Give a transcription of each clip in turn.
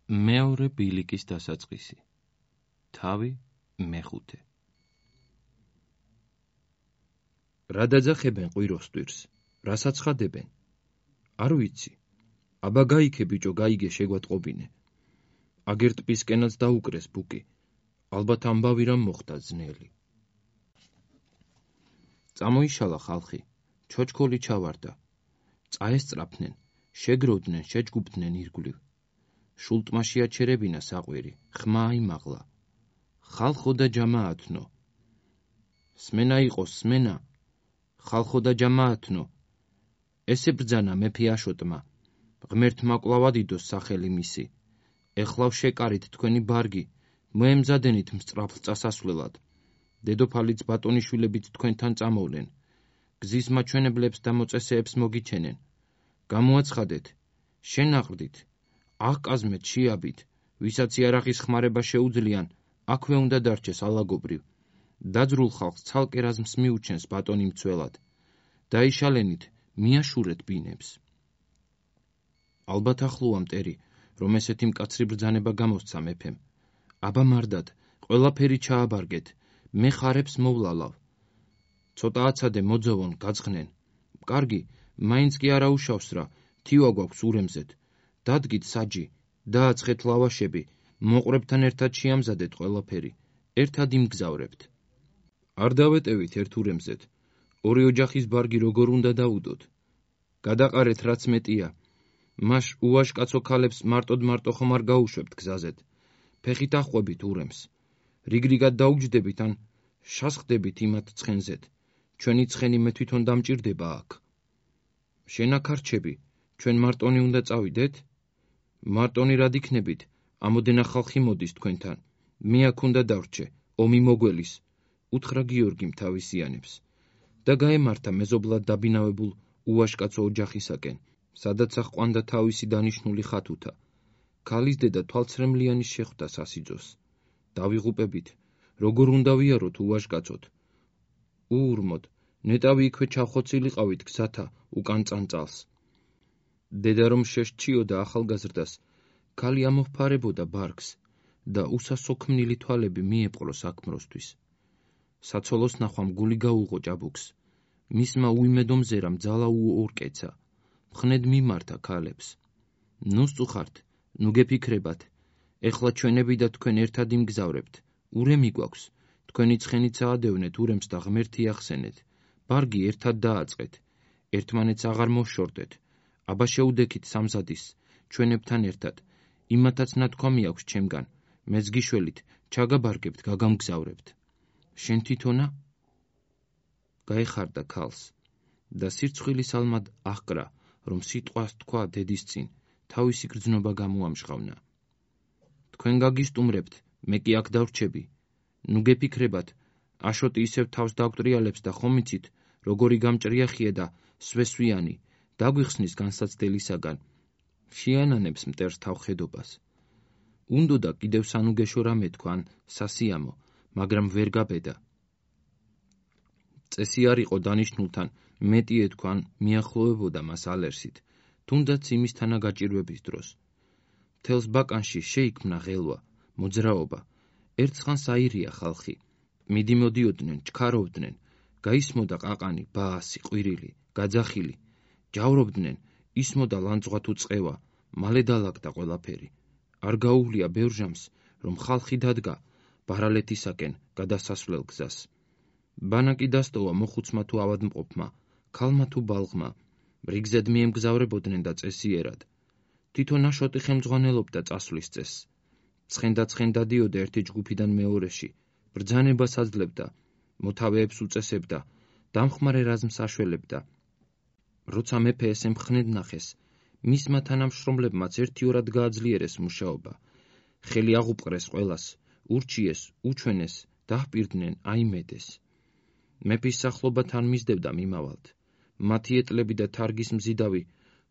მეორე ბილიკის დასაწყისი. თავი მეხუთე. რა დაძახებენ ყვიროს ტვირს, რასაც ხადებენ? არ ვიცი. აბა გაიქე ბიჭო, გაიგე, შეგვატყობინე. აგერ ტბისკენაც დაუკრეს ბუკი, ალბათ ამბავი რამ მოხდა ძნელი. წამოიშალა ხალხი, ჩოჩქოლი ჩავარდა. წაესწრაფნენ, შეგროვდნენ, შეჯგუფდნენ ირგვლივ. შულტმაში აჩერებინა საყვირი, ხმა აიმაღლა. ხალხო და ჯამაათნო. სმენა იყოს, სმენა. ხალხო და ჯამაათნო. ესე ბრძანა მეფე აშოტმა. ღმერთმა კვლავ ადიდოს სახელი მისი. ეხლავ შეკარით თქვენი ბარგი, მოემზადენით მსწრაფლ წასასვლელად. დედოფალიც ბატონიშვილებით თქვენთან წამოვლენ. გზის მაჩვენებლებს და მოწესეებს მოგიჩენენ. გამოაცხადეთ, შენაყრდით, აღკაზმეთ შეაბით, ვისაც იარაღის ხმარება შეუძლიან, აქვე უნდა დარჩეს ალაგობრივ. დაძრულ ხალხს ცალკე რაზმს მიუჩენს ბატონი მცველად. დაიშალენით, მიაშურეთ ბინებს. ალბათ ახლოა მტერი, რომ ესეთი მკაცრი ბრძანება გამოსცა მეფემ. აბა მარდად, ყველაფერი ჩააბარგეთ, მე ხარებს მოვლალავ. ცოტა აცადე მოძოვონ, გაძღნენ. კარგი, მაინც კი არა უშავს რა, თივა გვაქვს ურემზეთ. დადგით საჯი, დააცხეთ ლავაშები, მოყვრებთან ერთად შეამზადეთ ყველაფერი, ერთად იმგზავრებთ. არ დავეტევით ერთ ურემზეთ, ორი ოჯახის ბარგი როგორ უნდა დაუდოთ. გადაყარეთ რაც მეტია. მაშ უაშკაცო ქალებს მარტო ხომ არ გაუშვებთ გზაზეთ. ფეხით ახვებით ურემს. რიგრიგად დაუჯდებით ან შასხდებით იმათ ცხენზეთ. ჩვენი ცხენი მე თვითონ დამჭირდება აქ. შენ აქ არჩები, ჩვენ მარტონი უნდა წავიდეთ? მარტონი რად იქნებით, ამოდენა ხალხი მოდის თქვენთან. მე აქ უნდა დავრჩე, ომი მოგველის, უთხრა გიორგიმ თავისიანებს. და გაემართა მეზობლად დაბინავებულ უაშკაცო ოჯახისაკენ, სადაც აჰყვანდა თავისი დანიშნული ხათუთა. ქალის დედა თვალცრემლიანის შეხვდა სასიძოს. დავიღუპებით, როგორ უნდა ვიაროთ უაშკაცოთ? უურმოდ, ნეტავი იქვე ჩავხოცილიყავით გზათა უკან წანწალს. დედა რომ შეშჩიოდა ახალგაზრდას, ქალი ამოფარებოდა ბარგს და უსასოქმნილი თვალები მიეპყრო საქმროსთვის. საცოლოს ნახვამ გული გაუღო ჭაბუკს. მისმა უიმედო მზერამ ძალა უორკეცა. მხნედ მიმართა ქალებს. ნუ სწუხართ, ნუ გეფიქრებათ. ეხლა ჩვენები და თქვენ ერთად იმგზავრებთ. ურემი გვაქვს. თქვენი ცხენიც აადევნეთ ურემს და ღმერთი ახსენეთ. ბარგი ერთად დააწყეთ. ერთმანეთს აღარ მოშორდეთ. აბა შეუდექით სამზადის, ჩვენებთან ერთად. იმათაც ნათქვამი აქვს ჩემგან. მეც გიშველით, ჩაგაბარგებთ, გაგამგზავრებთ. შენ თვითონა? გაეხარდა ქალს და სირცხვილის ალმად აჰკრა, რომ სიტყვას თქვა დედის წინ, თავისი გრძნობა გამოამჟღავნა. თქვენ გაგისტუმრებთ, მე კი აქ დავრჩები. ნუ გეფიქრებათ, აშოტი ისევ თავს დაგვტრიალებს და ხომ იცით, როგორი გამჭრიახია და სვესვიანი, დაგვიხსნის განსაცდელისაგან. შეანანებს მტერს თავხედობას. უნდოდა კიდევ სანუგეშო რამე თქვან სასიამო, მაგრამ ვერ გაბედა. წესი არ იყო დანიშნულთან მეტი ეთქვან მიახლოვებოდა მას ალერსით, თუნდაც იმის თანაგაჭირვების დროს. მთელს ბაკანში შეიქმნა ღელვა, მოძრაობა. ერთხანს აირია ხალხი. მიდიმოდიოდნენ, ჩქარობდნენ, გაისმოდა ყაყანი, ბაასი, ყვირილი, გაძახილი. ჯავრობდნენ, ისმოდა ლანძღვა თუ წყევა, მალე დალაგდა ყველაფერი. არ გაუვლია ბევრ ჟამს, რომ ხალხი დადგა ბარალეთისაკენ გადასასვლელ გზას. ბანაკი დასტოვა მოხუცმა თუ ავადმყოფმა, ქალმა თუ ბალღმა. რიგზედ მიემგზავრებოდნენ და წესიერად. თვითონ აშოტი ხელმძღვანელობდა წასვლის წესს. ცხენდა დადიოდა ერთი ჯგუფიდან მეორეში, ბრძანებას აძლევდა, მოთავეებს უწესებდა, დამხმარე რაზმს აშველებდა. როცა მეფე ესე მხნედ ნახეს, მისმა თანამშრომლებმაც ერთიორად გააძლიერეს მუშაობა. ხელი აღუპყრეს ყველას, ურჩიეს, უჩვენეს, დაჰპირდნენ, აიმედეს. მეფის სახლობათან მისდევდა მიმავალთ. მათი ეტლები და თარგის მზიდავი,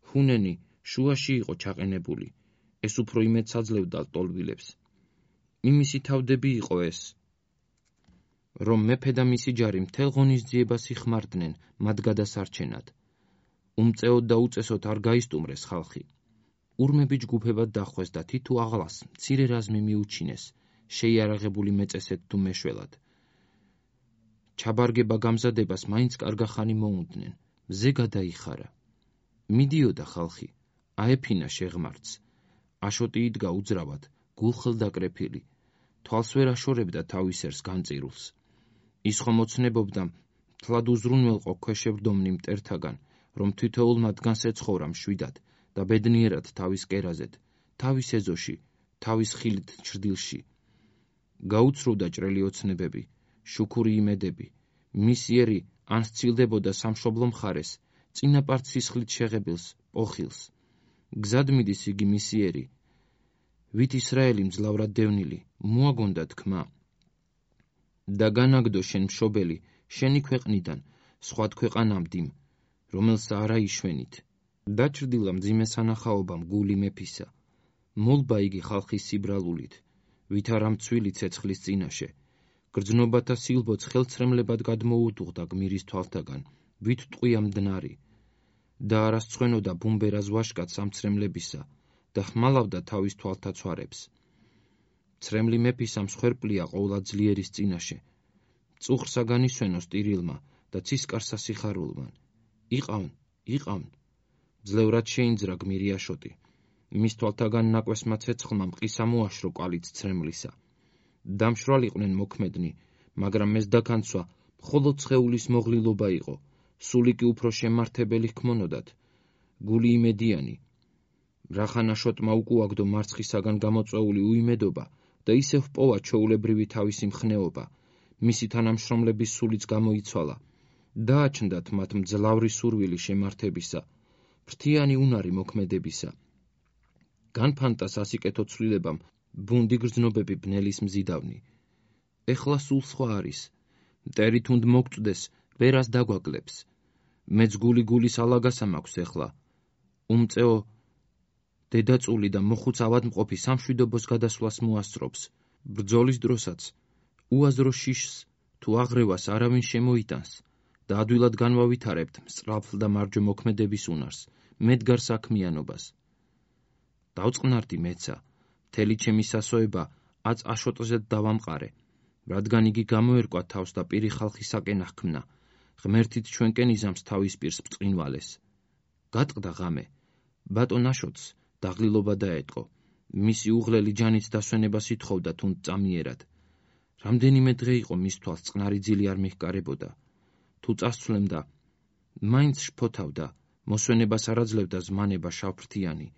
ჰუნენი, შუაში იყო ჩაყენებული. ეს უფრო იმედს აძლევდა ლტოლვილებს. იმისი თავდები იყო ეს, რომ მეფე და მისი ჯარი მთელ ღონისძიებას იხმარდნენ მათ გადასარჩენად. უმწეოდ და უწესოდ არ გაისტუმრეს ხალხი. ურმები ჯგუფებად დახვეს და თითო აღლას მცირე რაზმი მიუჩინეს, შეიარაღებული მეწესედ თუ მეშველად. ჩაბარგება გამზადებას მაინც კარგახანი მოუნდნენ, მზე გადაიხარა. მიდიოდა ხალხი, აეფინა შეღმართს. აშოტი იდგა უძრავად, გულხელდაკრეფილი, თვალს ვერ აშორებდა თავის ერს განწირულს. ის ხომ ოცნებობდა მთლად უზრუნველყო ქვეშევრდომნი მტერთაგან, რომ თითოეულ მათგანს ეცხოვრა მშვიდად და ბედნიერად თავის კერაზედ, თავის ეზოში, თავის ხილით ჩრდილში. გაუცრუდა ჭრელი ოცნებები, შუქური იმედები, მისიერი ან სცილდებოდა სამშობლო მხარეს, წინაპართ სისხლით შეღებილს, პოხილს. გზად მიდის იგი მისიერი, ვით ისრაელი მძლავრად დევნილი, მოაგონდა თქმა. და განაგდო შენ მშობელი, შენი ქვეყნიდან, სხვა ქვეყანამდიმ, რომელსა არა იშვენით. დაჩრდილა მძიმე სანახაობამ გული მეფისა. მოლბა იგი ხალხის სიბრალულით, ვით არა მცვილი ცეცხლის წინაშე. გრძნობათა სილბოც ხელცრემლებად გადმოუდუღდა გმირის თვალთაგან, ვით ტყვია მდნარი. და არასცხვენოდა ბუმბერას ვაშკად სამცრემლებისა და ხმალავდა თავის თვალთა ცვარებს. ცრემლი მეფისა მსხვერპლია ყოვლა ძლიერის წინაშე. წუხრსა განისვენოს ტირილმა და ცისკარსა სიხარულმან. იყავნ. ძლევრად შეინძრა გმირი აშოტი. მის თვალთაგან ნაკვესმა ცეცხლმა მყისა მოაშრო კვალიც ცრემლისა. დამშრალიყვნენ მოქმედნი, მაგრამ ეს დაქანცვა მხოლოდ სხეულის მოღლილობა იყო. სული კი უფრო შემართებელი ჰქმონოდათ. გული იმედიანი. რახან აშოტმა უკუაგდო მარცხისაგან გამოწვეული უიმედობა და ისევ ჰპოვა ჩვეულებრივი თავისი მხნეობა. მისი თანამშრომლების სულიც გამოიცვალა. დააჩნდათ მათ მძლავრი სურვილი შემართებისა, ფრთიანი უნარი მოქმედებისა. განფანტა სასიკეთო ცვლილებამ ბუნდი გრძნობები ბნელის მზიდავნი. ეხლა სულ სხვა არის. მტერი თუნდ მოგწდეს, ვერას დაგვაკლებს. მეც გულის ალაგასა მაქვს ეხლა. უმწეო დედაწული და მოხუცავად მყოფი სამშვიდობოს გადასვლას მოასწრობს. ბრძოლის დროსაც უაზრო შიშს თუ აღრევას არავინ შემოიტანს და ადვილად განვავითარებთ მსწრაფლ და მარჯვე მოქმედების უნარს, მედგარ საქმიანობას. დავწყნარდი მეცა, მთელი ჩემი სასოება აწ აშოტზედ დავამყარე, რადგან იგი გამოერკვა თავს და პირი ხალხისაკენ ახქმნა, ღმერთით ჩვენკენ იზამს თავის პირს ბრწყინვალეს. გატყდა ღამე, ბატონ აშოტს დაღლილობა დაეტყო, მისი უღლელი ჯანით დასვენებას ითხოვდა თუნდ წამიერად. რამდენიმე დღე იყო მის თვალს წყნარი ძილი არ მიჰკარებოდა. თუ წასცვლემდა, მაინც შფოთავდა, მოსვენებას არ აძლევდა ზმანება შავფრთიანი.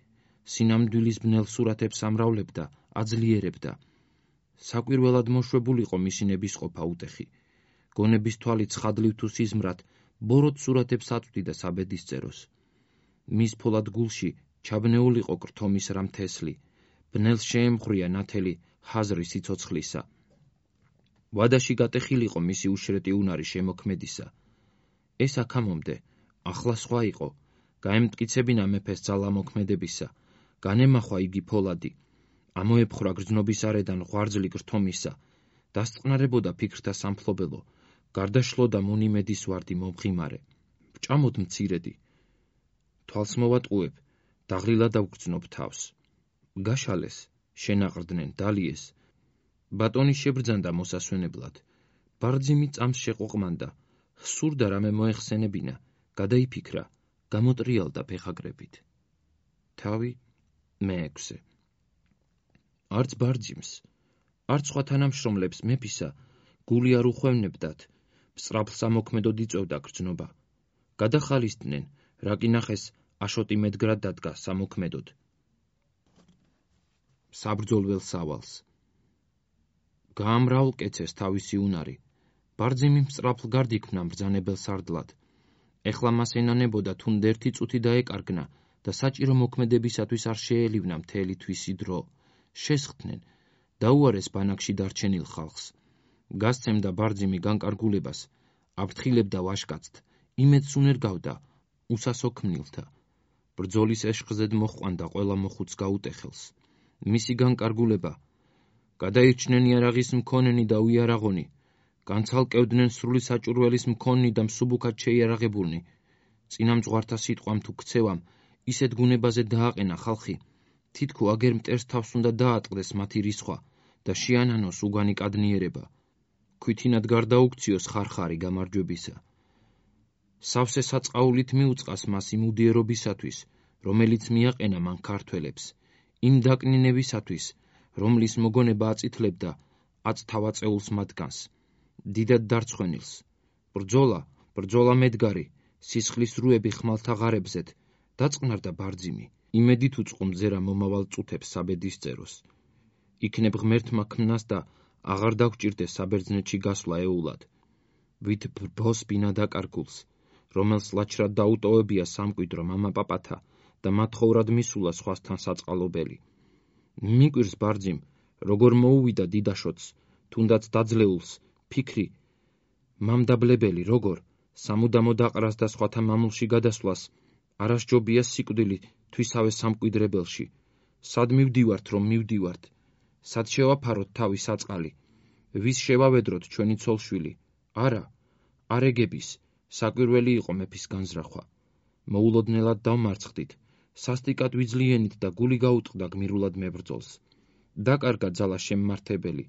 სინამდვილის ბნელ სურათებს ამრავლებდა, აძლიერებდა. საკვირველად მოშვებულიყო მისი ნებისყოფა უტეხი. გონების თვალით ცხადლივ თუ სიზმრად, ბოროტ სურათებს აწვდიდა საბედისწეროს. მის ფოლად გულში ჩაბნეულიყო კრთომის რამ თესლი, ბნელს შეემღვრია ნათელი ჰაზრი სიცოცხლისა. ვადაში გატეხილიყო მისი უშრეტი უნარი შემოქმედისა. ეს აქამომდე, ახლა სხვა იყო, გაემტკიცებინა მეფეს ძალა მოქმედებისა, განემახვა იგი ფოლადი, ამოეფხრა გრძნობის არედან ღვარძლი გრთომისა, დასწყნარებოდა ფიქრთა სამფლობელო, გარდაშლოდა მონიმედის ვარდი მომღიმარე. ვჭამოდ მცირედი, თვალს მოვატყუებ, დაღლილად დავგრძნობ თავს. გაშალეს, შენაყრდნენ, დალიეს. ბატონი შებრძანდა მოსასვენებლად. ბარძიმი წამს შეყოყმანდა, სურდა რამე მოეხსენებინა, გადაიფიქრა, გამოტრიალდა ფეხაგრებით. თავი მე-6. არც ბარძიმს, არც სხვა თანამშრომლებს მეფისა გული არ უხვევნებდათ, მსწრაფლ სამოქმედოდ იწვევდა გრძნობა. გადახალისდნენ, რა კი ნახეს აშოტი მედგრად დადგა სამოქმედოდ. საბრძოლველს სავალს. გაამრავლკეცეს თავისი უნარი. ბარძიმი მსწრაფლ გარდიქმნა მბრძანებელ სარდლად. ეხლა მას ენანებოდა თუნდ ერთი წუთი დაეკარგნა და საჭირო მოქმედებისათვის არ შეელივნა მთელი თვისი დრო. შესხდნენ, დაუარეს ბანაკში დარჩენილ ხალხს. გასცემდა ბარძიმი განკარგულებას, აფრთხილებდა ვაშკაცთ, იმედს უნერგავდა უსასო ქმნილთა. ბრძოლის ეშხზედ მოჰყვანდა ყველა მოხუც გაუტეხელს. მისი განკარგულება, გადაირჩნენ იარაღის მქონენი და უიარაღონი, განცალკევდნენ სრული საჭურველის მქონნი და მსუბუქად შეიარაღებულნი. წინამძღვართა სიტყვამ თუ ქცევამ ისეთ გუნებაზე დააყენა ხალხი, თითქო აგერ მტერს თავს უნდა დაატყდეს მათი რისხვა და შეანანოს უგანი კადნიერება, ქვითინად გარდაუქციოს ხარხარი გამარჯვებისა. სავსე საწყაულით მიუწყას მას იმ უდიერობისათვის, რომელიც მიაყენა მან ქართველებს, იმ დაკნინებისათვის, რომლის მოგონება აწითლებდა აწთავაწეულს მათგანს, დიდად დარცხვენილს. ბრძოლა მედგარი, სისხლის რუები ხმალთა ღარებზეთ, დაწყნარდა ბარძიმი, იმედით უწყო მძერა მომავალ წუთებს საბედისწეროს. იქნებ ღმერთმა ქმნას და აღარ დაგჭირდეს საბერძნეთში გასვლა ეულად, ვით ბრბოს ბინა დაკარგულს, რომელს ლაჩრად დაუტოვებია სამკვიდრო მამაპაპათა და მათხოვრად მისულა სხვასთან საწყალობელი. მიკვირს ბარძიმ, როგორ მოუვიდა დიდაშოც, თუნდაც დაძლეულს, ფიქრი მამდაბლებელი, როგორ სამუდამო დაყრას და სხვათა მამულში გადასვლას, არასჯობია სიკვდილი თვისავე სამკვიდრებელში. სად მივდივართ, რომ მივდივართ? სად შევაფაროთ თავი საწყალი? ვის შევავედროთ ჩვენი ცოლშვილი? არა, არეგების, საკვირველი იყო მეფის განზრახვა. მოულოდნელად დავმარცხდით, სასტიკად ვიძლიენით და გული გაუტყდა გმირულად მებრძოლს. დაკარგა ძალა შემმართებელი,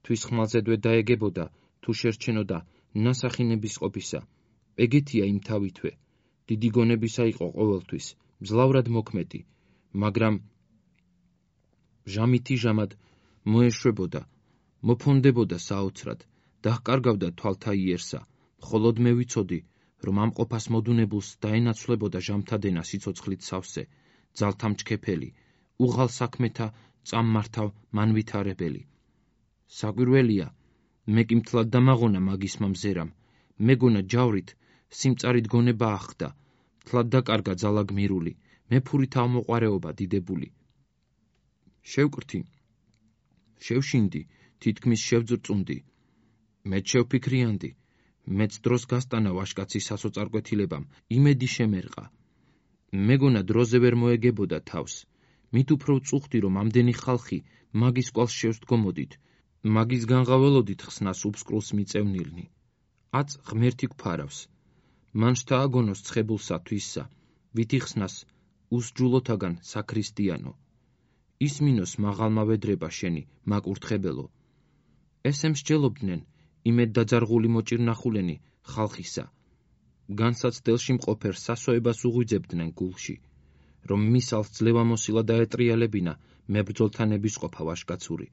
თვის ხმალზედვე დაეგებოდა, თუ შერჩენოდა ნასახინების ყოფისა. ეგეთია იმ თავითვე, დიდი გონებისა იყო ყოველთვის, მძლავრად მოქმედი, მაგრამ ჟამითი ჟამად მოეშვებოდა, მოფონდებოდა საოცრად, დაჰკარგავდა თვალთა იერსა, მხოლოდ მე ვიცოდი, რომ ამ ყოფას მოდუნებულს დაენაცვლებოდა ჟამთადენა სიცოცხლით სავსე, ძალთა მჩქეფელი, უღალ საქმეთა წამმართავ მანვითარებელი. საკვირველია, მე კი მთლად დამაღონა მაგის მამზერამ, მეგონა ჯავრით, სიმწარით გონება ახდა, მთლად დაკარგა ძალა გმირული, მეფური თავმოყარეობა დიდებული. შევკრთი, შევშინდი, თითქმის შევძრწუნდი, მეც შევფიქრიანდი, მეც დროს გასტანა ვაშკაცის სასოწარკვეთილებამ, იმედი შემერყა. მეგონა დროზე ვერ მოეგებოდა თავს, მით უფრო ვწუხდი, რომ ამდენი ხალხი მაგის კვალს შევსდგომოდით, მაგის განღაველოდით ხსნას უფსკრულს მიწევნილნი. აწ ღმერთი გვფარავს, მან შთააგონოს ცხებულსა თვისსა, ვით იხსნას უსჯულოთაგან საქრისტიანო. ისმინოს მაღალმა ვედრება შენი, მაკურთხებელო. ესე მსჯელობდნენ იმედ დაძარღული მოჭირნახულენი ხალხისა. განსაცდელში მყოფერ სასოებას უღვიძებდნენ გულში, რომ მისალს ძლევამოსილა დაეტრიალებინა მებრძოლთა ნებისყოფა ვაშკაცური.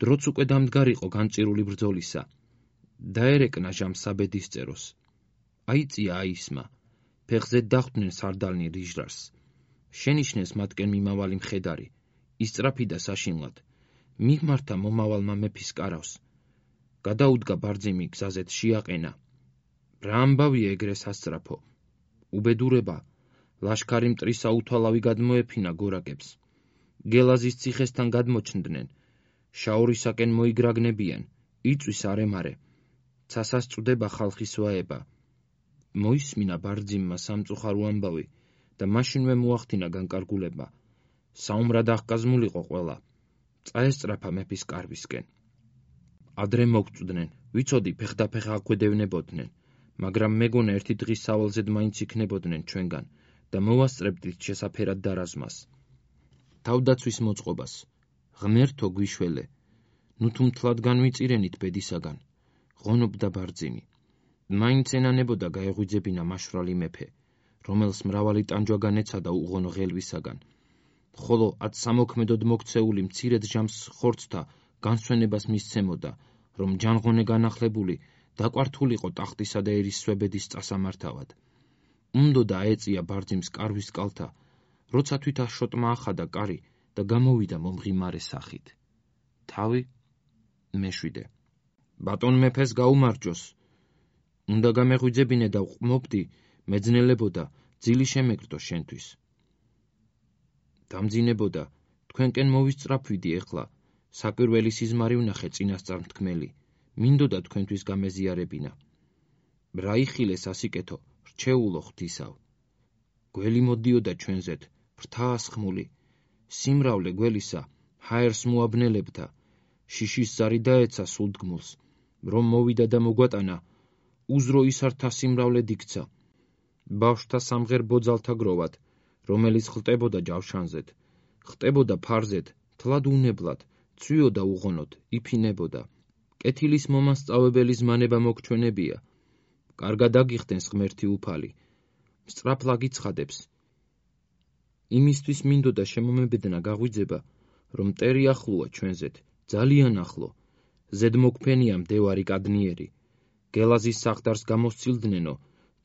დროც უკვე დამდგარიყო განწირული ბრძოლისა. დაერეკნა ჟამ საბედისწეროს. აიწია აისმა, ფეხზე დახვდნენ სარდალნი რიჟრარს. შენიშნეს მათკენ მიმავალი მხედარი, ისწრაფიდა საშინლად, მიღმართა მომავალმა მეფის კარავს. გადაუდგა ბარძიმი გზაზეთ შეაყენა. რა ამბავია ეგრე სასწრაფო? უბედურება, ლაშქარი მტრისა უთვალავი გადმოეფინა გორაკებს. გელაზის ციხესთან გადმოჩნდნენ, შაორისაკენ მოიგრაგნებიან, იწვის არემარე, ცასას წვდება ხალხის ვაება. მოისმინა ბარძიმმა სამწუხარო ამბავი და მაშინვე მოახდინა განკარგულება. საუმრად აღკაზმულიყო ყველა, წაესწრაფა მეფის კარვისკენ. ადრე მოგწვდნენ, ვიცოდი ფეხდაფეხ აგვედევნებოდნენ, მაგრამ მეგონა ერთი დღის სავალზედ მაინც იქნებოდნენ ჩვენგან და მოვასწრებდით შესაფერად დარაზმას. თავდაცვის მოწყობას, ღმერთო გვიშველე, ნუ თუ მთლად განვიწირენით ბედისაგან, ღონობდა ბარძიმი. მაინც ენანებოდა გაეღვიძებინა მაშვრალი მეფე, რომელს მრავალი ტანჯვა განეცადა უღონო ღელვისაგან, ხოლო ათ სამოქმედოდ მოქცეული მცირედ ჟამს ხორცთა განსვენებას მისცემოდა, რომ ჯანღონე განახლებული დაკვართულიყო ტახტისა და ერისსვებედის წასამართავად. უნდოდა აეწია ბარძიმს კარვის კალთა, როცა თვით აშოტმა ახადა კარი და გამოვიდა მომღიმარე სახით. თავი მეშვიდე. ბატონ მეფეს გაუმარჯოს. უნდა გამეღვიძებინე და ვყმობდი, მეძნელებოდა, ძილი შემეკრდო შენთვის. დამძინებოდა, თქვენკენ მოვისწრაფვიდი ეხლა, საკვირველი სიზმარი ვნახე წინასწარ მთქმელი, მინდოდა თქვენთვის გამეზიარებინა. რა იხილეს ასიკეთო, რჩეულო ღვთისავ. გველი მოდიოდა ჩვენზეთ, ფრთას ხმული, სიმრავლე გველისა, ჰაერს მოაბნელებდა, შიშის ზარი დაეცა სულდგმულს, რომ მოვიდა და მოგვატანა, უზრო ისართა სიმრავლე დიქცა. ბავშვთა სამღერ ბოძალთა გროვად, რომელიც ხლტებოდა ჯავშანზედ, ხტებოდა ფარზედ, თლად უნებლად, ცვიოდა უღონოდ, იფინებოდა. კეთილის მომასწავებელი ზმანება მოგჩვენებია. კარგად აგიხდენს ღმერთი უფალი. სწრაფლა გიცხადებს. იმისთვის მინდოდა შემომებედნა გაღვიძება, რომ მტერი ახლოა ჩვენზეთ, ძალიან ახლო. ზედმოგვფენია მდევარი კადნიერი. გელაზის სახლდარს გამოსცილდნენო,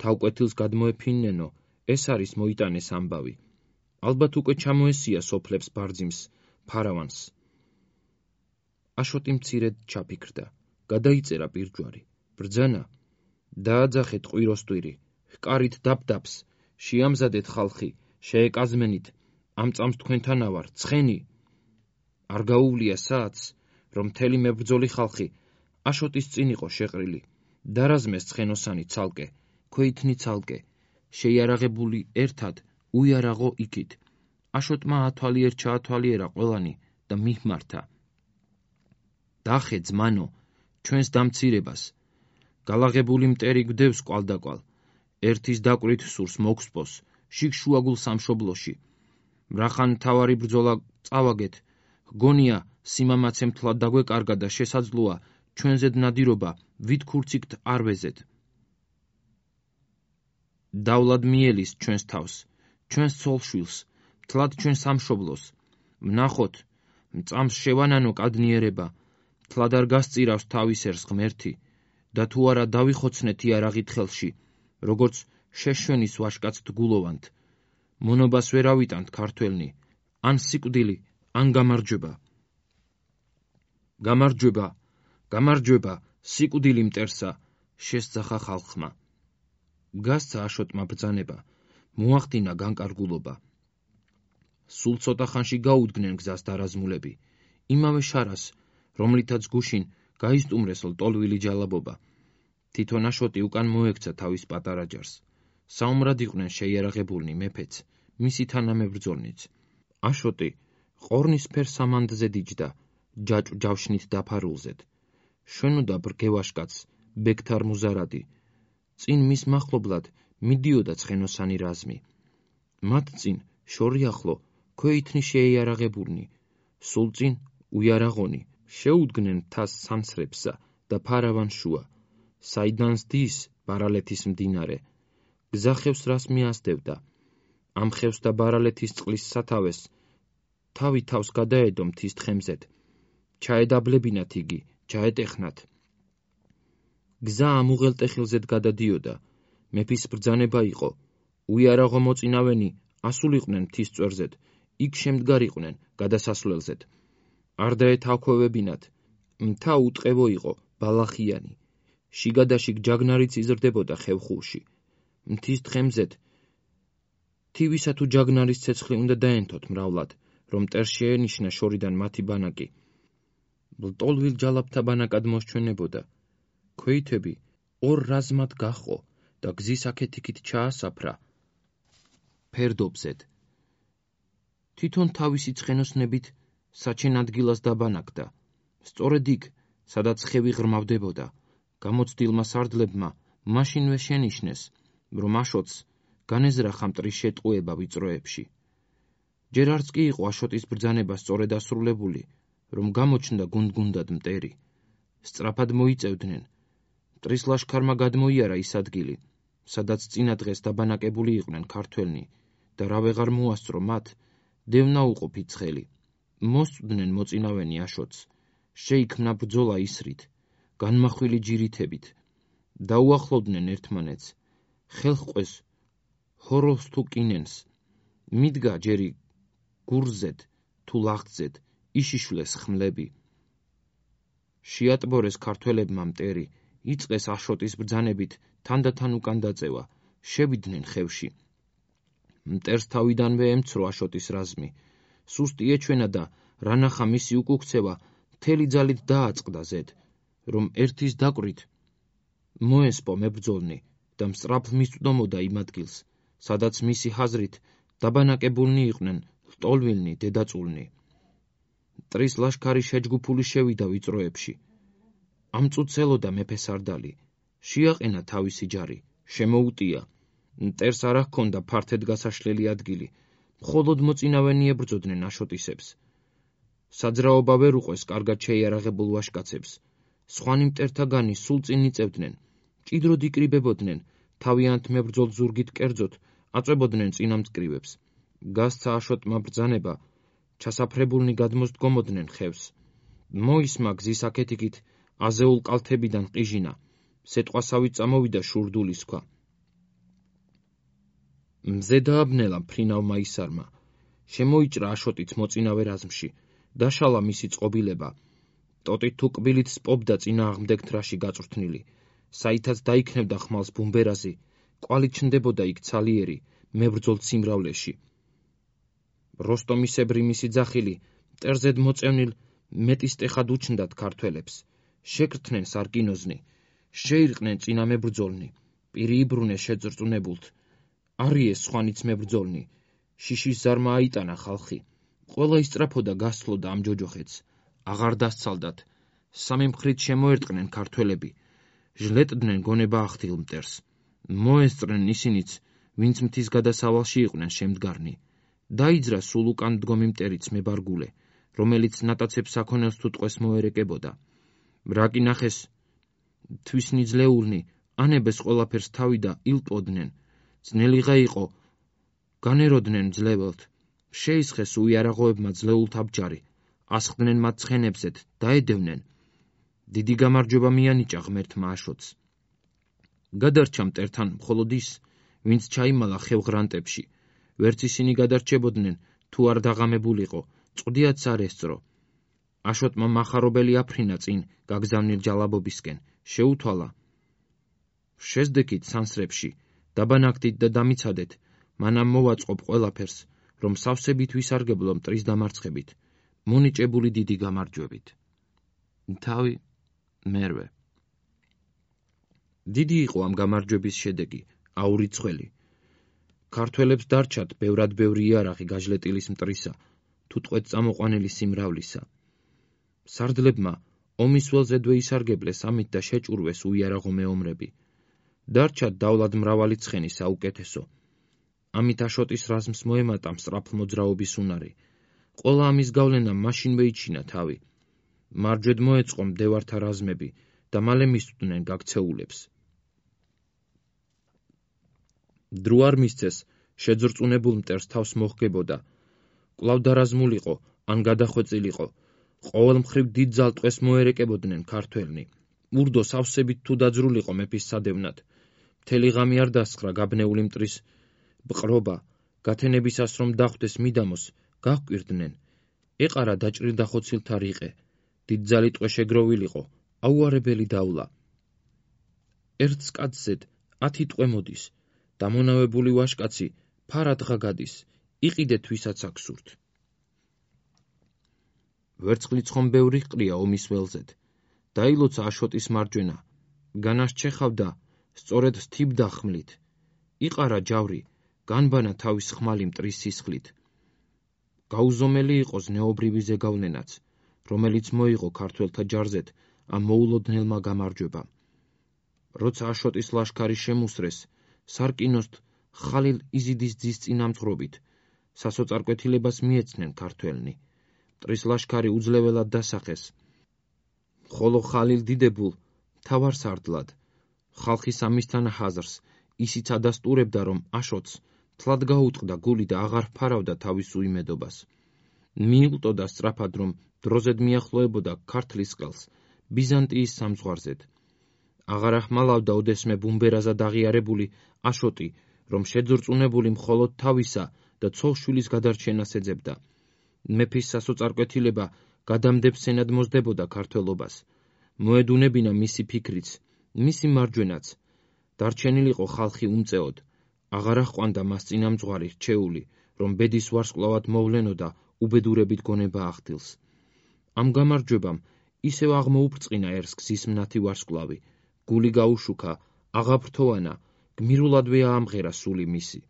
თავკვეთილს გადმოეფინნენო, ეს არის მოიტანეს ამბავი. ალბათ უკვე ჩამოესია სოფლებს ბარძიმს, ფარავანს. აშოტი მცირედ ჩაფიქრდა. გადაიწერა პირჯვარი. ბრძანა. დააძახეთ ყვიროსტვირი. ჰკარით დაბდაბს. შეამზადეთ ხალხი. შეეკაზმენით. ამ წამს თქვენთანა ვარ. ცხენი. არ გაუვლია საათს, რომ მთელი მებრძოლი ხალხი აშოტის წინ იყო შეყრილი. დარაზმეს ცხენოსანი ცალკე, ქვეითნი ცალკე. შეიარაღებული ერთად, უიარაღო იქით. აშოტმა ათვალიერ ჩაათვალიერა ყველანი და მihmarta. დახე ძმანო, ჩვენს დამცირებას. გალაღებული მტერი გვდევს კვალდაკვალ. ერთის დაკვრით სურს მოგსპოს, შიგშუაგულ სამშობლოში. მრახან მთავარი ბრძოლა წავაგეთ. გონია სიმამაცე მთლად დაგვეკარგა და შესაძლოა ჩვენზედ ნადირობა ვით ქურციგთ არ ვეზეთ. დავლად მიელის ჩვენს თავს, ჩვენს ცოლშვილს, მთლად ჩვენ სამშობლოს. ვნახოთ, მწამს შევანანო კადნიერება, მთლად არ გასწირავს თავის ერს ღმერთი, და თუ არა დავიხოცნეთ იარაღით ხელში, როგორც შეშვენის ვაშკაც დგულოვანთ. მონობას ვერ ავიტანთ ქართველნი, ან სიკვდილი, ან გამარჯვება. გამარჯვება, გამარჯვება, სიკვდილი მტერსა, შესძახა ხალხმა. გასცა აშოტმა ბრძანება, მოახდინა განკარგულობა. სულ ცოტა ხანში გაუდგნენ გზას დარაზმულები, იმავე შარას, რომლითაც გუშინ გაისტუმრეს ლტოლვილი ჯალაბობა. თვითონ აშოტი უკან მოექცა თავის პატარა ჯარს. საომრად იყვნენ შეიარაღებულნი მეფეც, მისი თანამებრძოლნიც. აშოტი ყორნისფერ სამანდზე დიჯდა, ჯავშნით დაფარულზედ. შვენოდა ბრგევაშკაც, ბექთარ მუზარადი. წინ მის მახლობლად მიდიოდა ცხენოსანი რაზმი. მათ წინ შორიახლო ქვეითნი შეიარაღებულნი, სულ წინ უიარაღონი. შეუდგნენ თას სამსრებსა და ფარავან შუა. საიდანს დის ბარალეთის მდინარე. გზახევს რას მიასდევდა. ამ ხევს და ბარალეთის წყლის სათავეს თავი თავს გადაედო მთის თხემზეთ. ჩაედაბლებინათ იგი, ჩაეტეხნათ. გზა ამ უღელტეხილზეთ გადადიოდა. მეფის ბრძანება იყო. უიარაღო მოწინავენი ასულიყვნენ მთის წვერზეთ, იქ შემდგარიყვნენ გადასასვლელზეთ. არ დაეთაქვევებინათ. მთა უტყევო იყო, ბალახიანი. შიგადაშიგ ჯაგნარიც იზრდებოდა ხევხულში. მთის თხემზეთ თივისა თუ ჯაგნარის ცეცხლი უნდა დაენთოთ მრავლად, რომ მტერს შეენიშნა შორიდან მათი ბანაკი. ლტოლვილ ჯალაბთა ბანაკად მოსჩვენებოდა. ქვეითები ორ რაზმად გაჰყო და გზის აქეთ-იქით ჩაასაფრა ფერდობზედ. თვითონ თავისი ცხენოსნებით საჩენ ადგილას დაბანაკდა. სწორედ იქ, სადაც ხევი ღრმავდებოდა, გამოცდილმა სარდლებმა მაშინვე შენიშნეს, რომ აშოტს განეზრახა მტრის შეტყუება ვიწროებში. ჯერ არც კი იყო აშოტის ბრძანება სწორედ ასრულებული, რომ გამოჩნდა გუნდ-გუნდად მტერი. სწრაფად მოიწევდნენ. მტრის ლაშქარმა გადმოიარა ის ადგილი, სადაც წინა დღეს დაბანაკებული იყვნენ ქართველნი და რა ვეღარ მოასწრო მათ, დევნა უყოფი ცხელი. მოსწვდნენ მოწინავენი აშოტს. შეიქმნა ბრძოლა ისრით, განმახვილი ჯირითებით. დაუახლოვდნენ ერთმანეთს. ხელჰყვეს ჰოროს თუ კინენს. მიდგა ჯერი გურზეთ თუ ლახტზეთ, იშიშვლეს ხმლები. შეატბორეს ქართველებმა მტერი, იწყეს აშოტის ბრძანებით თანდათან უკან დაწევა, შევიდნენ ხევში. მტერს თავიდანვე ემცრო აშოტის რაზმი. სუსტი ეჩვენა და რანახა მისი უკუქცევა მთელი ძალით დააწყდა ზედ, რომ ერთის დაკვრით მოესპო მებრძოლნი და მსწრაფ მისწვდომოდა იმ ადგილს, სადაც მისი ხაზრით დაბანაკებულნი იყვნენ ლტოლვილნი დედაწულნი. მტრის ლაშქარი შეჯგუფული შევიდა ვიწროებში. ამწუცელოდა მეფე სარდალი. შეაყენა თავისი ჯარი, შემოუტია. მტერს არ ჰქონდა ფართედ გასაშლელი ადგილი, მხოლოდ მოწინავენი ებრძოდნენ აშოტისებს. საძრაობა ვერ უყვეს კარგად შეიარაღებულ ვაჟკაცებს. სხვანი მტერთაგანი სულ წინ იწევდნენ, მჭიდროდ იკრიბებოდნენ, თავიანთ მებრძოლ ზურგით კერძოდ აწვებოდნენ წინამძკრივებს. გასცა აშოტმა ბრძანება, ჩასაფრებულნი გადმოსდგომოდნენ ხევს. მოისმა გზის აქეთ-იქით აზეულ კალთებიდან ყიჟინა, სეტყვასავით წამოვიდა შურდულის ქვა. მზე დააბნელა მფრინავმა ისარმა, შემოიჭრა აშოტიც მოწინავე რაზმში, დაშალა მისი წყობილება. ტოტით თუ კბილით სპობდა წინააღმდეგ თრაში გაწვრთნილი, საითაც დაიქნევდა ხმალს ბუმბერაზი, კვალი ჩნდებოდა იქ ცალიერი, მებრძოლ სიმრავლეში. როსტომისებრი მისი ძახილი მტერზედ მოწევნილ მეტისტეხად უჩნდათ ქართველებს. შეკრთნენ სარკინოზნი, შეირყნენ წინა მებრძოლნი, პირი იბრუნეს შეძრწუნებულთ. არიეს სხვანიც მებრძოლნი, შიშის ზარმა აიტანა ხალხი. ყველა ისწრაფოდა გასცლოდა ამ ჯოჯოხეთს. აღარ დასცალდათ, სამი მხრით შემოერტყნენ ქართველები, ჟლეტდნენ გონება ახთილ მტერს. მოესწრნენ ისინიც, ვინც მთის გადასავალში იყვნენ შემდგარნი. დაიძრა სულ უკან დგომი მტერიც მებარგულე, რომელიც ნატაცებს საქონელს თუ ტყვეს მოერეკებოდა. რა კი ნახეს თვისნი ძლეულნი, ანებეს ყველაფერს თავი და ილტვოდნენ. ძნელიღა იყო, განეროდნენ ძლეველთ. შეისხეს უიარაღოებმა ძლეულთ აბჯარი, ასხდნენ მათ ცხენებზეთ, დაედევნენ. დიდი გამარჯვება მიანიჭა ღმერთმა აშოტს. გადარჩა მტერთან მხოლოდ ის, ვინც ჩაიმალა ხევღრანტებში. ვერც ისინი გადარჩებოდნენ, თუ არ დაღამებულიყო, წვდიაც არ ესწრო. აშოტმა მახარობელი აფრინა წინ გაგზავნილ ჯალაბობისკენ, შეუთვალა. შეზდექით სანსრებში, დაბანაკდით და დამიცადეთ, მანამ მოვაწყობ ყველაფერს, რომ სავსებით ვისარგებლო მტრის დამარცხებით, მონიჭებული დიდი გამარჯვებით. თავი მერვე. დიდი იყო ამ გამარჯვების შედეგი, აურიცხველი. ქართველებს დარჩათ ბევრად ბევრი იარაღი გაჟლეტილის მტრისა, თუ ტყვედ წამოყვანილი სიმრავლისა. სარდლებმა ომის ველზე დვეისარგებლეს ამით და შეჭურვეს უიარაღო მეომრები. დარჩათ დავლად მრავალი ცხენი საუკეთესო. ამით აშოტის რაზმს მოემატა მსწრაფ მოძრაობის უნარი. ყველა ამის გავლენამ მაშინვე იჩინა თავი. მარჯვედ მოეწყო მდევართა რაზმები და მალე მისვდნენ გაქცეულებს. დრო არ მისცეს, შეძრწუნებულ მტერს თავს მოჰგებოდა. კვლავ დარაზმულიყო, ან გადახვეწილიყო. ყოველ მხრივ დიდ ძალტყვეს მოერეკებოდნენ ქართველნი. ურდო სავსებით თუ დაძრულიყო მეფის სადევნად. მთელი ღამი არ დასხრა გაბნეული მტრის ბყრობა, გათენებისას რომ დახვდეს მიდამოს, გაჰკვირდნენ. ეყარა დაჭრილ დახოცილთა რიყე, დიდძალი ტყვე შეგროვილიყო, აუარებელი დავლა. ერთ კაცზედ 10 ტყვე მოდის, დამონავებული ვაჟკაცი ფარადღა გადის, იყიდეთ ვისაც აქ სურთ. ვერცხლი ცხომ ბევრი ჰყრია ომის ველზედ. დაილოცა აშოტის მარჯვენა, განასჩეხავდა, სწორედ თიბდა ხმლით. იყარა ჯავრი, განბანა თავის ხმალი მტრის სისხლით. გაუზომელი იყო ზნეობრივი ზეგავლენაც, რომელიც მოიღო ქართველთა ჯარზეთ ამ მოულოდნელმა გამარჯვებამ. როცა აშოტის ლაშქარი შემუსრეს, სარკინოსთ ხალილ იზიდის ძის წინამძღვრობით, სასოწარკვეთილებას მიეცნენ ქართველნი. მტრის ლაშქარი უძლეველად დასახეს, ხოლო ხალილ დიდებულ მთავარსარდლად. ხალხის ამისთან ჰაზრს ისიც ადასტურებდა, რომ აშოტს თლად გაუტყდა გული და აღარ ფარავდა თავის უიმედობას. მიილტოდა სწრაფად, რომ დროზედ მიახლოებოდა ქართლის ყელს ბიზანტიის სამძღვარზედ. აღარ ახმალავდა ოდესმე ბუმბერაზად აღიარებული აშოტი, რომ შეძრწუნებული მხოლოდ თავისა და ცოლ-შვილის გადარჩენას ეძებდა. მეფის სასოწარკვეთილება გადამდებ-სენად მოსდებოდა ქართველობას. მოედუნებინა მისი ფიქრიც, მისი მარჯვენაც. დარჩენილიყო ხალხი უმწეოდ. აღარ აჰყვანდა მას წინამძღვარი რჩეული, რომ ბედის ვარსკვლავად მოვლენოდა უბედურებით გონება ახდილს. ამ გამარჯვებამ ისევ აღმოუბრწყინა ერს გზის მნათი ვარსკვლავი, გული გაუშუქა, აღაფრთოვანა, გმირულადვე აამღერა სული მისი.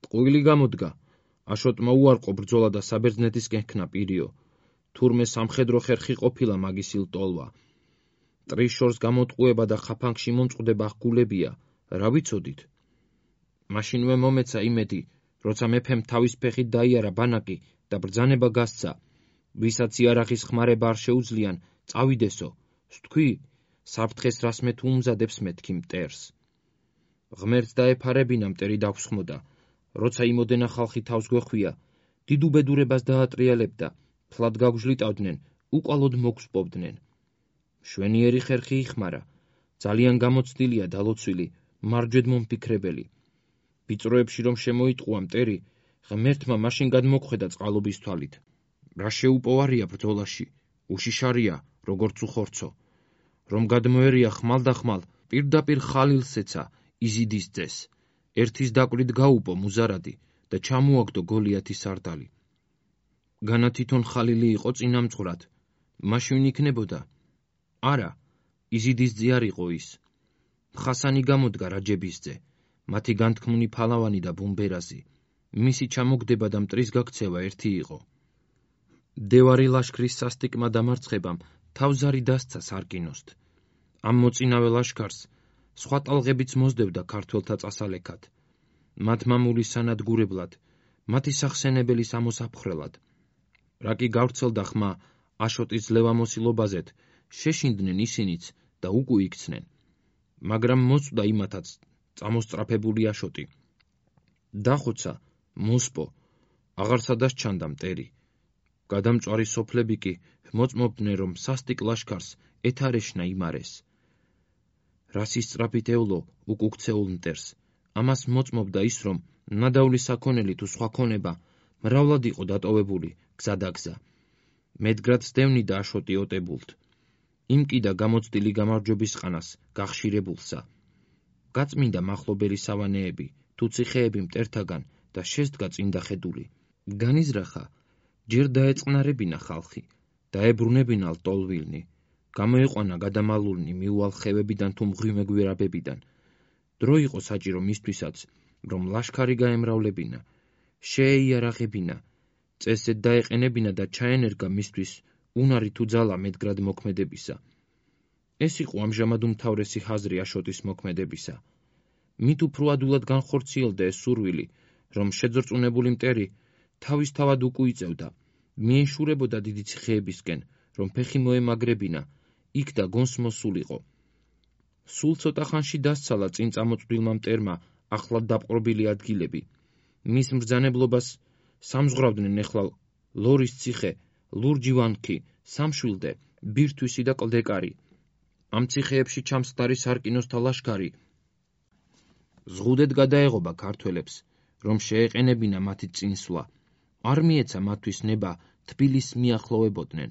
ტყუილი გამოდგა, აშოტმა უარყო ბრძოლა და საბერძნეთისკენ ჰქნა პირიო. თურმე სამხედრო ხერხი ყოფილა მაგის ილტოლვა. მტრის შორს გამოტყუება და ხაფანგში მომწყდება ღგულებია, რა ვიცოდით? მაშინვე მომეცა იმედი, როცა მეფემ თავის ფეხით დაიარა ბანაკი და ბრძანება გასცა, ვისაც იარაღის ხმარება არ შეუძლიან, წავიდესო, ვთქვი, საფრთხეს რას მე თუ უმზადებს მეთქი მტერს. ღმერთს დაეფარებინა მტერი დაგვსხმოდა, როცა იმოდენა ხალხი თავს გვეხვია, დიდ უბედურებას დაატრიალებდა, ფლად გაგვჟლიტავდნენ, უკვალოდ მოგსპობდნენ. მშვენიერი ხერხი იხმარა, ძალიან გამოცდილია დალოცვილი, მარჯვედ მომფიქრებელი. ვიწროებში რომ შემოიტყუა მტერი, ღმერთმა მაშინ გადმოგვხედა წყალობის თვალით. რა შეუპოვარია ბრძოლაში, უშიშარია, როგორც უხორცო. რომ გადმოერია ხმალ და ხმალ, პირდაპირ ხალილს ეცა, იზიდის ძეს. ერთის დაკვირით გაუპო მუზარადი და ჩამოაგდო გოლიათის სარდალი. განა თვითონ ხალილი იყო წინამძღვრად, მაშინ იქნებოდა? არა, იზიდის ძე არ იყო ის. ხასანი გამოდგა რაჯებისძე, მათი განთქმული ფალავანი და ბუმბერაზი. მისი ჩამოგდება და მტრის გაქცევა ერთი იყო. დევარი ლაშქრის სასტიკმა დამარცხებამ თავზარი დასცა სარკინოსთ. ამ მოწინავე ლაშქარს სხვა ტალღებიც მოსდევდა ქართველთა წასალექად. მათ მამულის სანადგურებლად, მათი სახსენებელის ამოსაფხრელად. რა კი გავრცელდა ხმა აშოტის ძლევამოსილობაზეთ, შეშინდნენ ისინიც და უკუ იქცნენ. მაგრამ მოწვდა იმათაც წამოსწრაფებული აშოტი. დახოცა, მოსპო, აღარ სადაც ჩანდა მტერი. გადამწვარი სოფლები კი მოწმობდნენ, რომ სასტიკ ლაშქარს ეთარეშნა იმარეს. რას ისწრაფით ევლო უკუქცეულ მტერს, ამას მოწმობდა ის, რომ ნადავლი საქონელი თუ სხვა ქონება მრავლად იყო დატოვებული გზადაგზა. მედგრად სდევნიდა აშოტი ოტებულთ. იმ კიდა გამოცდილი გამარჯვების ყანას გახშირებულსა. გაწმინდა მახლობელი სავანეები თუ ციხეები მტერთაგან და შესდგა წინდა ხედული. განიზრახა, ჯერ დაეწყნარებინა ხალხი, დაებრუნებინა ლტოლვილნი, გამოეყვანა გადამალულნი მიუვალ ხევებიდან თუ მღვიმე გვირაბებიდან. დრო იყო საჭირო მისთვისაც, რომ ლაშქარი გაემრავლებინა, შეეიარაღებინა, წესედ დაეყენებინა და ჩაენერგა მისთვის უნარი თუ ძალა მედგრად მოქმედებისა. ეს იყო ამჟამად უმთავრესი ხაზრი აშოტის მოქმედებისა. მით უფრო ადულად განხორციელდა ეს სურვილი, რომ შეძრწუნებული მტერი თავისთავად უკუ იწევდა, მიეშურებოდა დიდი ციხეებისკენ, რომ ფეხი მოემაგრებინა, იქ და გონს მოსულიყო. სულ ცოტა ხანში დასცალა წინ წამოწვდილმა მტერმა ახლად დაპყრობილი ადგილები. მის მბრძანებლობას სამზღვრავდნენ ეხლა ლორის ციხე, ლურჯი ვანქი, სამშვილდე, ბირთვისი და კლდეკარი. ამ ციხეებში ჩამსხდარი სარკინოსთა ლაშქარი ზღუდედ გადაეღობა ქართველებს, რომ შეეყენებინა მათი წინსვლა. არ მიეცა მათთვის ნება თბილისს მიახლოვებოდნენ.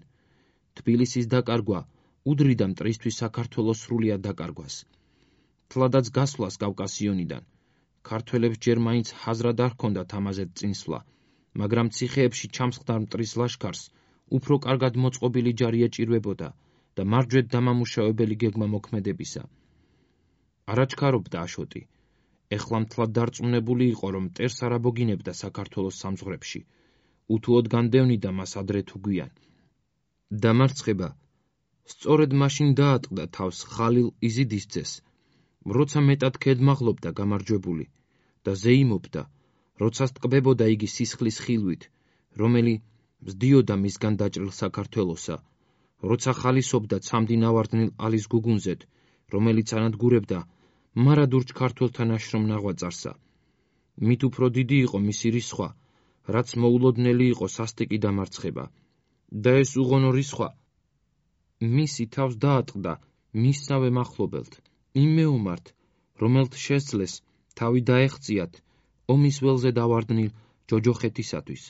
თბილისის დაკარგვა უდრიდა მტრისთვის საქართველოს სრულიად დაკარგვას. თლადაც გასვლას კავკასიონიდან. ქართველებს ჯერ მაინც ჰაზრად არ ჰქონდათ ამაზე წინსვლა, მაგრამ ციხეებში ჩამსხდარ მტრის ლაშქარს უფრო კარგად მოწყობილი ჯარი ეჭირვებოდა და მარჯვედ დამამუშავებელი გეგმა მოქმედებისა. არაჩქარობდა აშოტი. ეხლა მთლად დარწმუნებული იყო, რომ მტერს არ აბოგინებდა საქართველოს სამზღვრებში. უთუოდ განდევნიდა მას ადრე თუ გვიან. დამარცხება სწორედ მაშინ დაატყდა თავს ხალილ იზიდისძეს, როცა მეტად ქედმაღლობდა გამარჯვებული და ზეიმობდა, როცა სტყბებოდა იგი სისხლის ხილვით, რომელი მსდიოდა მისგან დაჭრილ საქართველოსა, როცა ხალისობდა ცამდინავარდნილ ალის გუგუნზეთ, რომელიც ანადგურებდა მარადურჩ ქართველთა ნაშრომ ნაღვაწარსა. მით უფრო დიდი იყო მისი რისხვა, რაც მოულოდნელი იყო სასტიკი დამარცხება. და ეს უღონო რისხვა მისი თავს დაატყდა მისსავე მახლობელთ, იმ მეომართ, რომელთ შესძლეს თავი დაეღწიათ ომის ველზე დავარდნილ ჯოჯოხეთისათვის.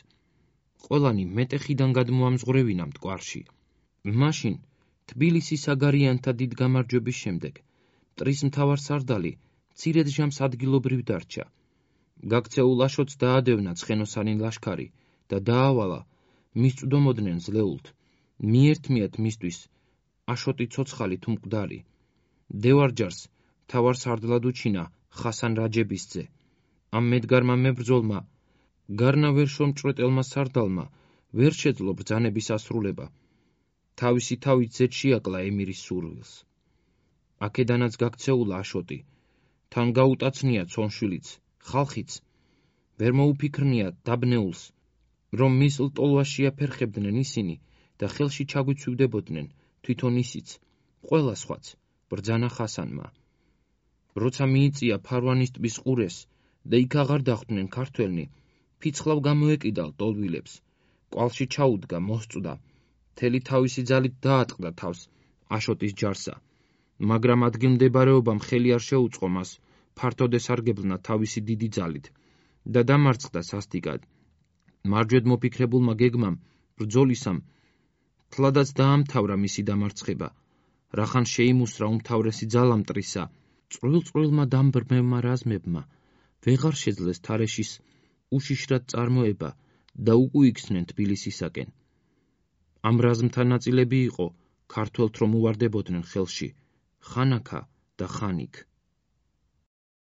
ყველანი მეტეხიდან გადმოამზღვრევინა მტკვარში. მაშინ თბილისის აგარიანთა დიდ გამარჯვების შემდეგ მტრის მთავარსარდალი მცირედ ჟამს ადგილობრივ დარჩა. გაქცეულ აშოტს დაადევნა ცხენოსანი ლაშქარი და დაავალა მისწვდომოდნენ ზლეულთ, მიერთმიათ მისთვის აშოტი ცოცხალი თუ მკვდარი. დევარჯარს მთავარსარდლად უჩინა ხასან რაჯებისძე. ამ მედგარმა მებრძოლმა, გარნა ვერ შრომჭრეტელმა სარდალმა ვერ შეძლო ბრძანების ასრულება. თავისი თავით ზედ შეაკლა ემირის სურვილს. აქედანაც გაქცეულა აშოტი, თან გაუტაცნია ცონშვილიც, ხალხიც, ვერ მოუფიქრნია დაბნეულს, რომ მის ლტოლვას შეაფერხებდნენ ისინი და ხელში ჩაგვიცვივდებოდნენ თვითონ ისიც, ყველა სხვაც, ბრძანა ხასანმა. როცა მიიწია ფარვანის ტბის ყურეს და იქ აღარ დახვდნენ ქართველნი, ფიცხლავ გამოეკიდა ლტოლვილებს, კვალში ჩაუდგა, მოსწვდა, მთელი თავისი ძალით დაატყდა თავს აშოტის ჯარსა, მაგრამ ადგილმდებარეობამ ხელი არ შეუწყო მას ფართოდ ესარგებლნა თავისი დიდი ძალით და დამარცხდა სასტიკად. მარჯვედ მოფიქრებულმა გეგმამ, ბრძოლისამ, თლადაც დაამთავრა მისი დამარცხება, რახან შეიმუსრა უმთავრესი ძალა მტრისა, წვრილ-წვრილმა დამბრმევმა რაზმებმა ვეღარ შეძლეს თარეშის უშიშრად წარმოება და უკუიქცნენ თბილისისაკენ. ამ რაზმთა ნაწილები იყო ქართველთ, რომ უვარდებოდნენ ხელში ხანაქა და ხანიქ.